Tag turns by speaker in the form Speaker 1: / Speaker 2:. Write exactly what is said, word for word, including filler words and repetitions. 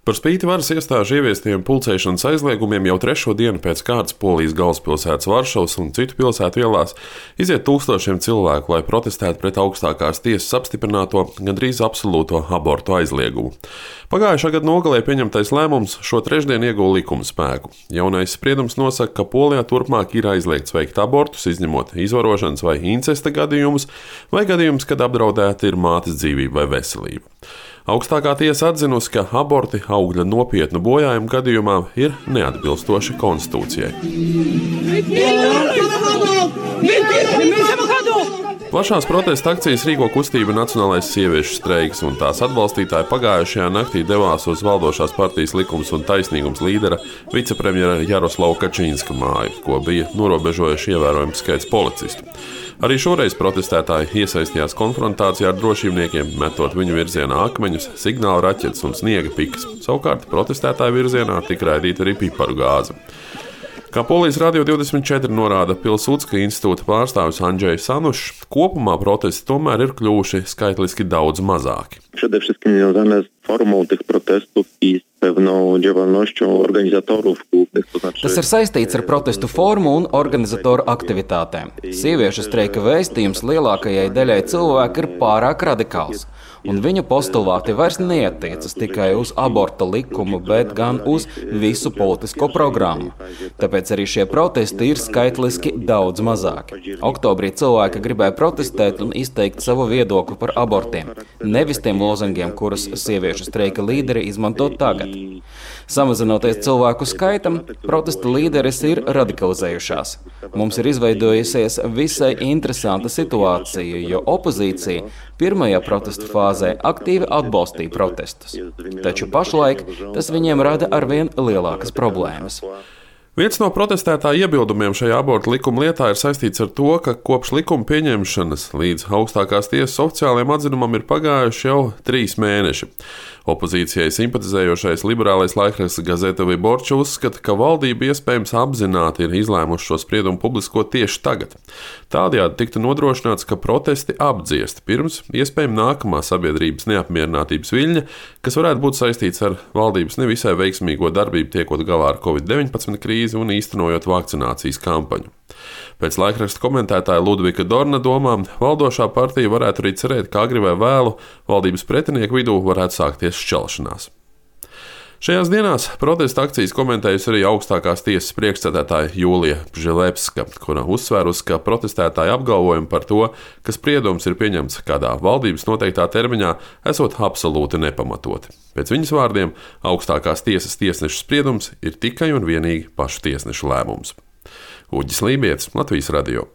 Speaker 1: Par spīti varas iestāžu ieviestiem pulcēšanas aizliegumiem jau trešo dienu pēc kārtas Polijas galvaspilsētas Varšavas un citu pilsētu ielās iziet tūkstošiem cilvēku, lai protestētu pret augstākās tiesas apstiprināto gandrīz absolūto abortu aizliegumu. Pagājušā gada nogalē pieņemtais lēmums šo trešdienu ieguva likuma spēku. Jaunais spriedums nosaka, ka Polijā turpmāk ir aizliegts veikt abortus, izņemot izvarošanas vai incesta gadījumus, vai gadījumus, kad apdraudēta ir mātes dzīvība vai veselība. Augstākā tiesa atzinusi, ka aborti augļa nopietnu bojājumu gadījumā ir neatbilstoši konstitūcijai. Plašās protesta akcijas rīko kustība Nacionālais sieviešu streiks, un tās atbalstītāji pagājušajā naktī devās uz valdošās partijas Likums un taisnīgums līdera vicepremjera Jaroslava Kačīnska māju, ko bija norobežojuši ievērojams skaits policistu. Arī šoreiz protestētāji iesaistījās konfrontācijā ar drošībniekiem, metot viņu virzienā akmeņus, signāla raķetes un sniega pikas. Savukārt protestētāju virzienā tika raidīta arī piparu gāze. Kā Polijas Radio divdesmit četri norāda Pilsudska institūta pārstāvis Andrzejs Sanušs, kopumā protesti tomēr ir kļuvuši skaitliski daudz mazāki.
Speaker 2: Przede wszystkim związane z formą tych protestów i z pewną działalnością organizatorów głównych, to znaczy...
Speaker 3: Tas ir saistīts ar protestu formu un organizatoru aktivitātēm. Sieviešu streika vēstījums lielākajai daļai cilvēku ir pārāk radikāls, un viņu postulāti vairs neatiecas tikai uz aborta likumu, bet gan uz visu politisko programmu. Tāpēc arī šie protesti ir skaitliski daudz mazāki. Oktobrī cilvēki gribēja protestēt un izteikt savu viedokli par abortiem, nevis tiem lozungiem, kurus sieviešu streika līderi izmanto tagad. Samazinoties cilvēku skaitam, protesta līderis ir radikalizējušās. Mums ir izveidojusies visai interesanta situācija, jo opozīcija pirmajā protesta fāzē aktīvi atbalstīja protestus. Taču pašlaik tas viņiem rada arvien lielākas problēmas.
Speaker 1: Viens no protestētāju iebildumiem šajā abortu likuma lietā ir saistīts ar to, ka kopš likuma pieņemšanas līdz augstākās tiesas oficiālajiem atzinumam ir pagājuši jau trīs mēneši. Opozīcijai simpatizējošais liberālais laikraksts Gazeta Vyborča uzskata, ka valdība iespējams apzināti ir izlēmuši šo spriedumu publiskot tieši tagad. Tādējādi tiktu nodrošināts, ka protesti apdziest pirms iespējami nākamā sabiedrības neapmierinātības viļņa, kas varētu būt saistīts ar valdības nevisai veiksmīgo darbību tiekot galā ar covid deviņpadsmit krīzi un īstenojot vakcinācijas kampaņu. Pēc laikraksta komentētāja Ludvika Dorna domām, valdošā partija varētu arī cerēt, ka agri vai vēlu valdības pretinieku vidū varētu sākties šķelšanās. Šajās dienās protesta akcijas komentējusi arī augstākās tiesas priekšsēdētāja Jūlija Pžilepska, kura uzsvērusi, ka protestētāji apgalvojumi par to, ka spriedums ir pieņemts kādā valdības noteiktā termiņā, esot absolūti nepamatoti. Pēc viņas vārdiem, augstākās tiesas tiesnešu spriedums ir tikai un vienīgi pašu tiesnešu lēmums. Uģis Lībietis, Latvijas Radio.